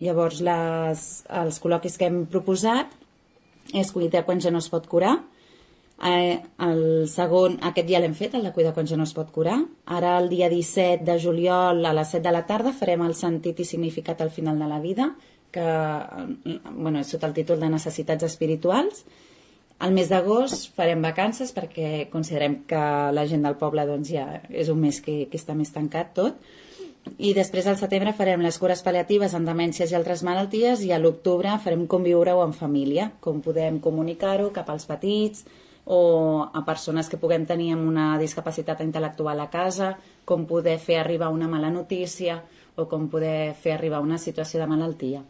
Llavors, els col·loquis que hem proposat és cuidar quan ja no es pot curar. El segon, aquest ja l'hem fet, el de cuidar quan ja no es pot curar. Ara, el dia 17 de juliol a les 7 de la tarda farem el sentit i significat al final de la vida, que és sota el títol de necessitats espirituals. Al mes d'agost farem vacances perquè considerem que la gent del poble ja és un mes que està més tancat tot. I després al setembre farem les cures pal·liatives en demències i altres malalties, i a l'octubre farem com viure-ho en família, com podem comunicar-ho cap als petits o a persones que puguem tenir amb una discapacitat intel·lectual a casa, com poder fer arribar una mala notícia o com poder fer arribar una situació de malaltia.